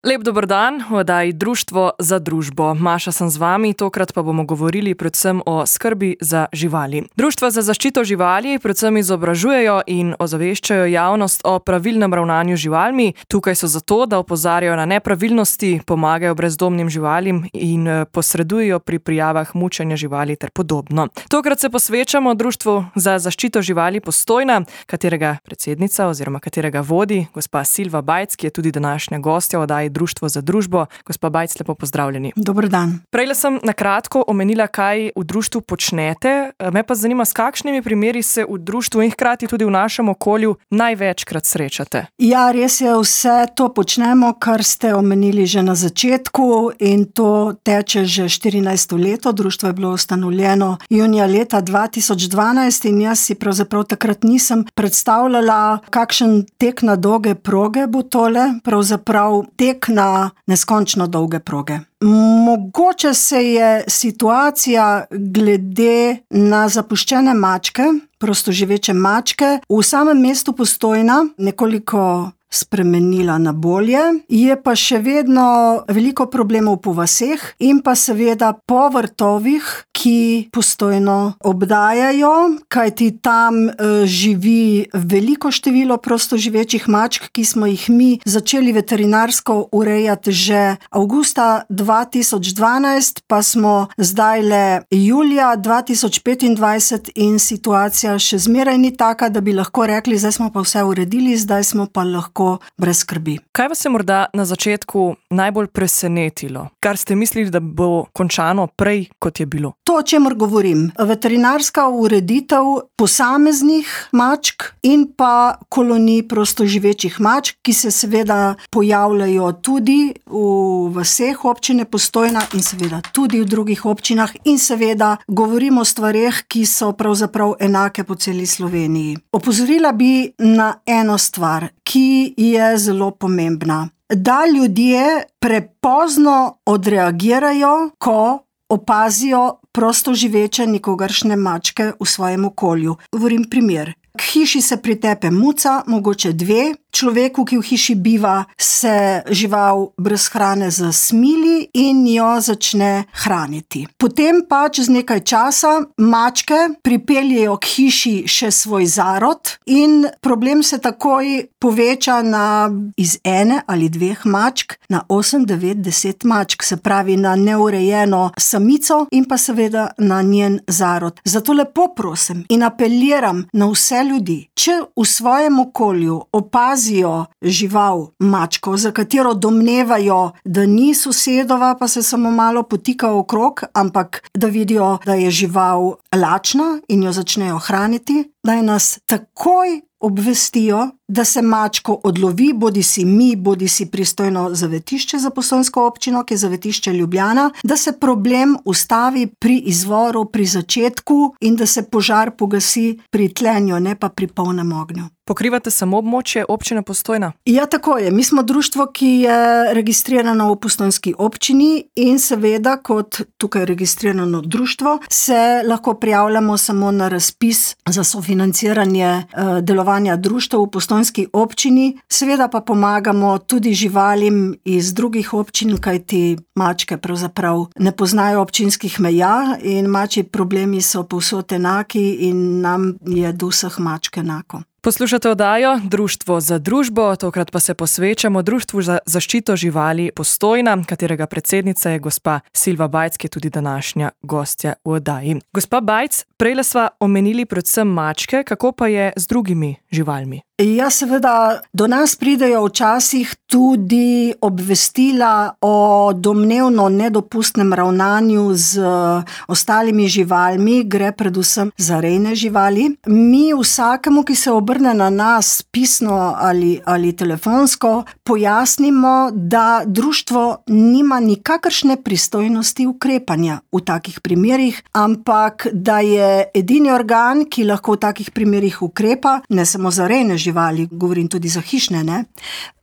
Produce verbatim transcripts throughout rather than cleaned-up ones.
Lep dober dan, v oddaji Društvo za družbo. Maša sem z vami, tokrat pa bomo govorili predvsem o skrbi za živali. Društva za zaščito živali predvsem izobražujejo in ozaveščajo javnost o pravilnem ravnanju z živalmi. Tukaj so zato, da opozarjajo na nepravilnosti, pomagajo brezdomnim živalim in posredujejo pri prijavah mučenja živali ter podobno. Tokrat se posvečamo Društvu za zaščito živali Postojna, katerega predsednica oziroma katerega vodi gospa Silva Bajc, ki je tudi današnja gostja v oddaji Društvo za družbo. Gospa Bajc, lepo pozdravljeni. Dober dan. Prejle sem na kratko omenila, kaj v društvu počnete. Me pa zanima, s kakšnimi primeri se v društvu in hkrati tudi v našem okolju največkrat srečate. Ja, res je, vse to počnemo, kar ste omenili že na začetku, in to teče že štirinajsto leto. Društvo je bilo ustanovljeno junija leta dva tisoč dvanajst in jaz si pravzaprav takrat nisem predstavljala, kakšen tek na dolge proge bo tole, pravzaprav tek na neskončno dolge proge. Mogoče se je situacija glede na zapuščene mačke, prostoživeče mačke, v samem mestu Postojna nekoliko spremenila na bolje, je pa še vedno veliko problemov po vaseh in pa seveda po vrtovih, ki Postojno obdajajo, kajti tam e, živi veliko število prostoživečih mačk, ki smo jih mi začeli veterinarsko urejati že avgusta dva tisoč dvanajst, pa smo zdajle julija dva tisoč petindvajset in situacija še zmeraj ni taka, da bi lahko rekli, zdaj smo pa vse uredili, zdaj smo pa lahko brez skrbi. Kaj vas je morda na začetku najbolj presenetilo? Kar ste mislili, da bo končano prej, kot je bilo? To, o čemer govorim. Veterinarska ureditev posameznih mačk in pa kolonij prostoživečih mačk, ki se seveda pojavljajo tudi v vaseh občine Postojna in seveda tudi v drugih občinah in seveda govorimo o stvareh, ki so pravzaprav enake po celi Sloveniji. Opozorila bi na eno stvar, ki je zelo pomembna. Da ljudje prepozno odreagirajo, ko opazijo prostoživeče nikogaršnje mačke v svojem okolju. Govorim primer. K hiši se pritepe muca, mogoče dve, človeku, ki v hiši biva, se žival brez hrane zasmili in jo začne hraniti. Potem pa čez nekaj časa mačke pripeljejo k hiši še svoj zarod in problem se takoj poveča na iz ene ali dveh mačk na osem, devet, deset mačk, se pravi na neurejeno samico in pa seveda na njen zarod. Zato lepo prosim in apeliram na vse ljudi, če v svojem okolju opazijo žival, mačko, za katero domnevajo, da ni sosedova, pa se samo malo potika okrog, ampak da vidijo, da je žival lačna in jo začnejo hraniti, naj nas takoj obvestijo, da se mačko odlovi, bodi si mi, bodi si pristojno zavetišče za Postojnsko občino, ki je zavetišče Ljubljana, da se problem ustavi pri izvoru, pri začetku in da se požar pogasi pri tlenju, ne pa pri polnem ognju. Pokrivate samo območje občine Postojna? Ja, tako je. Mi smo društvo, ki je registrirano v Postojnski občini in seveda kot tukaj registrirano društvo se lahko prijavljamo samo na razpis za sofinanciranje eh, delovanja društva v Postojnski občini. Seveda pa pomagamo tudi živalim iz drugih občin, kajti mačke pravzaprav ne poznajo občinskih meja in mačji problemi so povsod enaki in nam je do vseh mačk enako. Poslušate oddajo Društvo za družbo, tokrat pa se posvečamo Društvu za zaščito živali Postojna, katerega predsednica je gospa Silva Bajc, ki je tudi današnja gostja v oddaji. Gospa Bajc, prejle sva omenili predvsem mačke, kako pa je z drugimi živalmi? Ja, seveda, do nas pridejo včasih tudi obvestila o domnevno nedopustnem ravnanju z ostalimi živalmi, gre predvsem za rejne živali. Mi vsakemu, ki se obrne na nas pisno ali, ali telefonsko, pojasnimo, da društvo nima nikakršne pristojnosti ukrepanja v takih primerih, ampak da je edini organ, ki lahko v takih primerih ukrepa, ne samo za rejne živali, živali, govorim tudi za hišne, ne?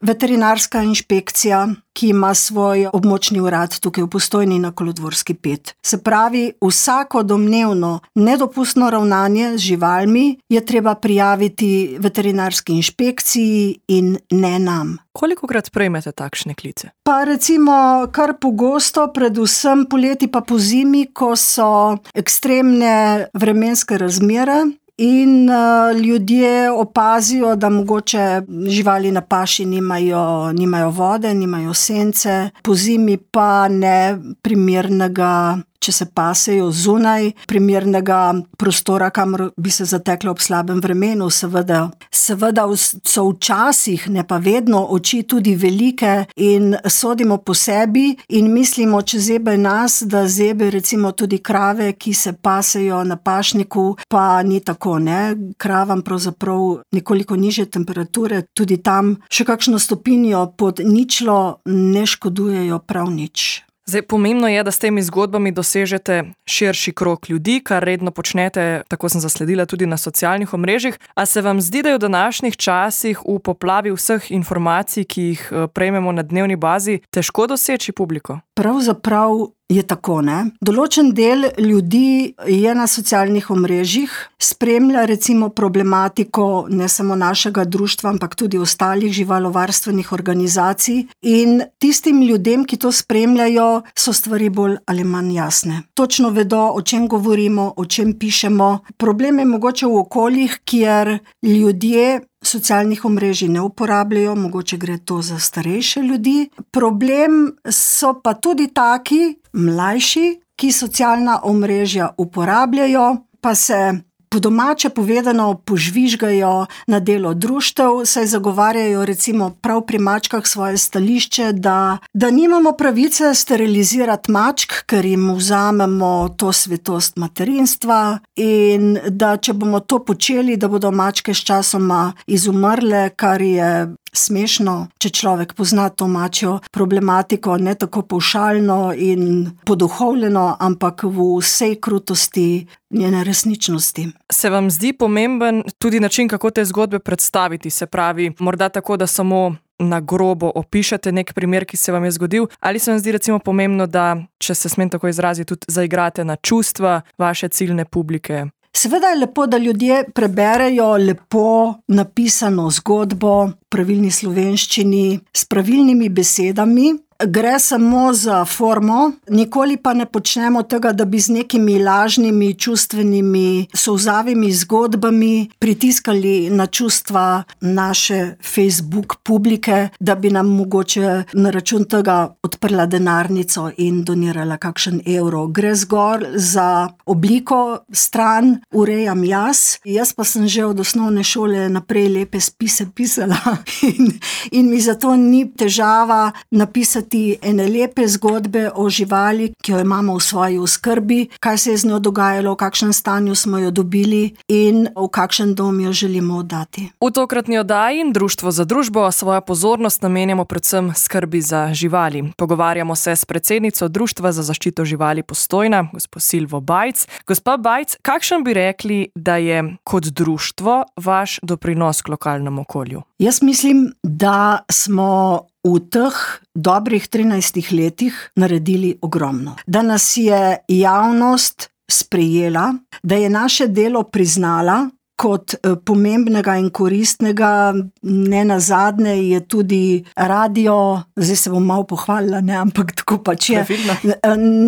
Veterinarska inšpekcija, ki ima svoj območni urad tukaj v Postojni na Kolodvorski pet. Se pravi, vsako domnevno nedopustno ravnanje z živalmi je treba prijaviti tudi veterinarski inšpekciji in ne nam. Kolikokrat prejmete takšne klice? Pa recimo kar pogosto, predvsem poleti pa pozimi, ko so ekstremne vremenske razmere in uh, ljudje opazijo, da mogoče živali na paši nimajo, nimajo vode, nimajo sence, pozimi pa ne primernega, če se pasejo zunaj, primernega prostora, kamor bi se zateklo ob slabem vremenu. Seveda, seveda so včasih, ne pa vedno, oči tudi velike in sodimo po sebi in mislimo, če zebe nas, da zebe recimo tudi krave, ki se pasejo na pašniku, pa ni tako, ne. Kravam pravzaprav nekoliko nižje temperature, tudi tam še kakšno stopinjo pod ničlo ne škodujejo prav nič. Zdaj, pomembno je, da s temi zgodbami dosežete širši krog ljudi, kar redno počnete, tako sem zasledila tudi na socialnih omrežjih. A se vam zdi, da je v današnjih časih v poplavi vseh informacij, ki jih prejmemo na dnevni bazi, težko doseči publiko? Pravzaprav je tako, ne. Določen del ljudi je na socialnih omrežjih, spremlja recimo problematiko ne samo našega društva, ampak tudi ostalih živalovarstvenih organizacij in tistim ljudem, ki to spremljajo, so stvari bolj ali manj jasne. Točno vedo, o čem govorimo, o čem pišemo. Problem je mogoče v okoljih, kjer ljudje socialnih omrežij ne uporabljajo, mogoče gre to za starejše ljudi. Problem so pa tudi taki, mlajši, ki socialna omrežja uporabljajo, pa se po domače povedano požvižgajo na delo društev, saj zagovarjajo recimo prav pri mačkah svoje stališče, da, da nimamo pravice sterilizirati mačk, ker jim vzamemo to svetost materinstva in da če bomo to počeli, da bodo mačke sčasoma izumrle, kar je smešno, če človek pozna to mačjo problematiko, ne tako pavšalno in poduhovljeno, ampak v vsej krutosti njene resničnosti. Se vam zdi pomemben tudi način, kako te zgodbe predstaviti? Se pravi, morda tako, da samo na grobo opišete nek primer, ki se vam je zgodil, ali se vam zdi recimo pomembno, da, če se smem tako izraziti, tudi zaigrate na čustva vaše ciljne publike? Seveda je lepo, da ljudje preberejo lepo napisano zgodbo v pravilni slovenščini s pravilnimi besedami. Gre samo za formo, nikoli pa ne počnemo tega, da bi z nekimi lažnimi, čustvenimi, solzavimi zgodbami pritiskali na čustva naše Facebook publike, da bi nam mogoče na račun tega odprla denarnico in donirala kakšen evro. Gre zgolj za obliko, stran urejam jaz. Jaz pa sem že od osnovne šole naprej lepe spise pisala in, in mi zato ni težava napisati ene lepe zgodbe o živali, ki jo imamo v svoji oskrbi, kaj se je z njo dogajalo, v kakšnem stanju smo jo dobili in v kakšen dom jo želimo oddati. V tokratni oddaji Društvo za družbo svojo pozornost namenjamo predvsem skrbi za živali. Pogovarjamo se s predsednico Društva za zaščito živali Postojna, gospo Silvo Bajc. Gospa Bajc, kakšen bi rekli, da je kot društvo vaš doprinos k lokalnemu okolju? Jaz mislim, da smo v teh dobrih trinajstih letih naredili ogromno. Da nas je javnost sprejela, da je naše delo priznala kot pomembnega in koristnega, ne nazadnje je tudi radio, zdaj se bom malo pohvalila, ne, ampak tako pač je.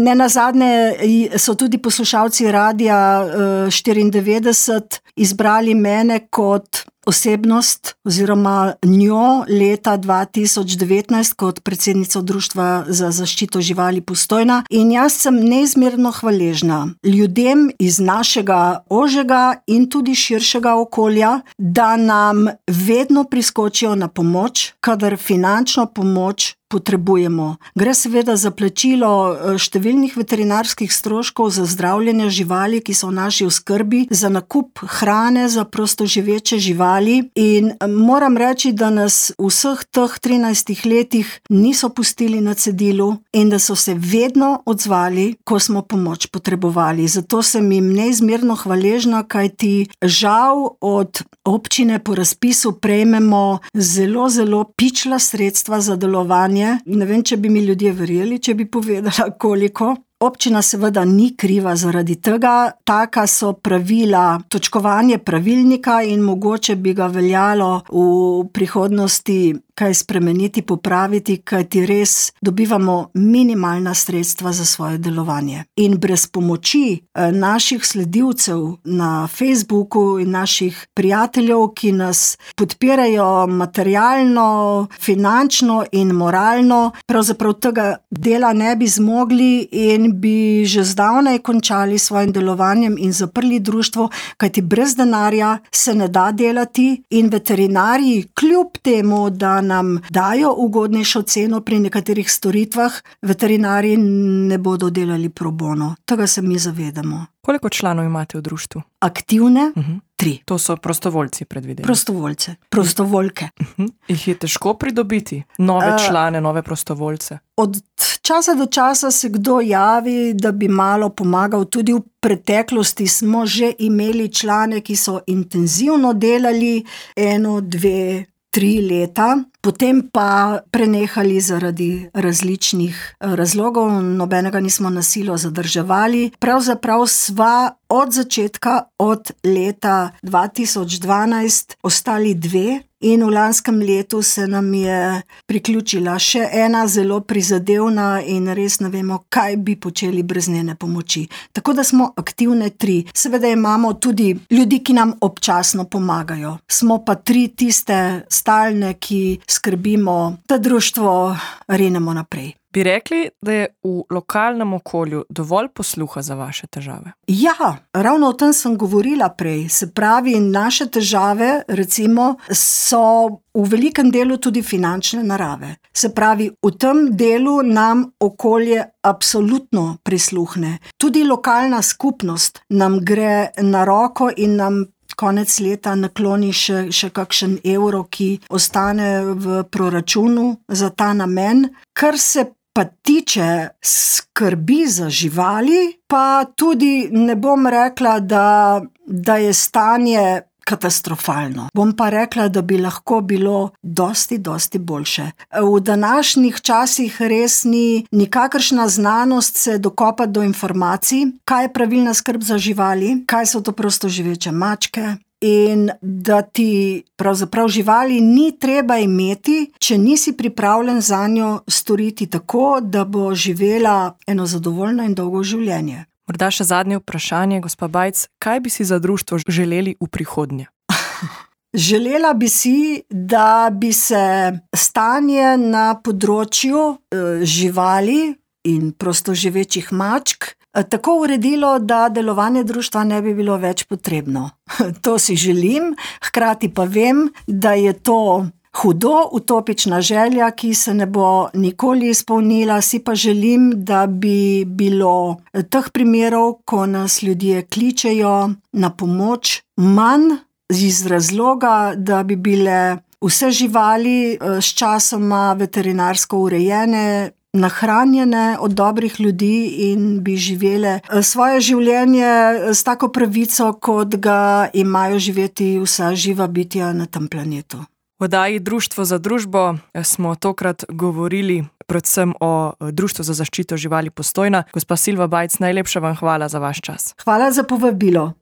Ne nazadnje so tudi poslušalci radia štiriindevetdeset izbrali mene kot osebnost oziroma njo leta dva tisoč devetnajst kot predsednico Društva za zaščito živali Postojna in jaz sem neizmerno hvaležna ljudem iz našega ožjega in tudi širšega okolja, da nam vedno priskočijo na pomoč, kadar finančno pomoč potrebujemo. Gre seveda za plačilo številnih veterinarskih stroškov za zdravljenje živali, ki so v naši oskrbi, za nakup hrane za prostoživeče živali in moram reči, da nas v vseh teh trinajstih letih niso pustili na cedilu in da so se vedno odzvali, ko smo pomoč potrebovali. Zato sem jim neizmerno hvaležna, kajti žal od občine po razpisu prejmemo zelo, zelo pičla sredstva za delovanje. Ne vem, če bi mi ljudje verjeli, če bi povedala koliko. Občina seveda ni kriva zaradi tega, taka so pravila, točkovanje pravilnika in mogoče bi ga veljalo v prihodnosti kaj spremeniti, popraviti, kajti res dobivamo minimalna sredstva za svoje delovanje. In brez pomoči naših sledilcev na Facebooku in naših prijateljev, ki nas podpirajo materialno, finančno in moralno, pravzaprav tega dela ne bi zmogli in bi že zdavnaj končali svojim delovanjem in zaprli društvo, kajti brez denarja se ne da delati in veterinarji, kljub temu, da nam dajo ugodnejšo ceno pri nekaterih storitvah, veterinarji ne bodo delali pro bono. Tega se mi zavedamo. Koliko članov imate v društvu? Aktivne? Uh-huh. Tri. To so prostovoljci, predvidevam. Prostovoljce, prostovoljke. Uh-huh. Jih je težko pridobiti? Nove uh, člane, nove prostovoljce? Od časa do časa se kdo javi, da bi malo pomagal. Tudi v preteklosti smo že imeli člane, ki so intenzivno delali eno, dve, tri leta, potem pa prenehali zaradi različnih razlogov, nobenega nismo na silo zadrževali. Pravzaprav sva od začetka, od leta dva tisoč dvanajst ostali dve in v lanskem letu se nam je priključila še ena zelo prizadevna in res ne vemo, kaj bi počeli brez njene pomoči. Tako da smo aktivne tri. Seveda imamo tudi ljudi, ki nam občasno pomagajo. Smo pa tri tiste stalne, ki skrbimo, da društvo rinemo naprej. Bi rekli, da je v lokalnem okolju dovolj posluha za vaše težave? Ja, ravno o tem sem govorila prej. Se pravi, naše težave, recimo, so v velikem delu tudi finančne narave. Se pravi, v tem delu nam okolje absolutno prisluhne. Tudi lokalna skupnost nam gre na roko in nam konec leta nakloni še, še kakšen evro, ki ostane v proračunu za ta namen. Kar se pa tiče skrbi za živali, pa tudi ne bom rekla, da, da je stanje katastrofalno. Bom pa rekla, da bi lahko bilo dosti, dosti boljše. V današnjih časih res ni nikakršna znanost se dokopati do informacij, kaj je pravilna skrb za živali, kaj so to prostoživeče mačke, in da ti pravzaprav živali ni treba imeti, če nisi pripravljen zanjo storiti tako, da bo živela eno zadovoljno in dolgo življenje. Morda še zadnje vprašanje, gospa Bajc, kaj bi si za društvo želeli v prihodnje? Želela bi si, da bi se stanje na področju eh, živali in prostoživečih mačk tako uredilo, da delovanje društva ne bi bilo več potrebno. To si želim, hkrati pa vem, da je to hudo utopična želja, ki se ne bo nikoli izpolnila. Si pa želim, da bi bilo teh primerov, ko nas ljudje kličejo na pomoč, manj iz razloga, da bi bile vse živali s časoma veterinarsko urejene, nahranjene od dobrih ljudi in bi živele svoje življenje s tako pravico, kot ga imajo živeti vsa živa bitja na tem planetu. V oddaji Društvo za družbo smo tokrat govorili predvsem o Društvu za zaščito živali Postojna. Gospa Silva Bajc, najlepša vam hvala za vaš čas. Hvala za povabilo.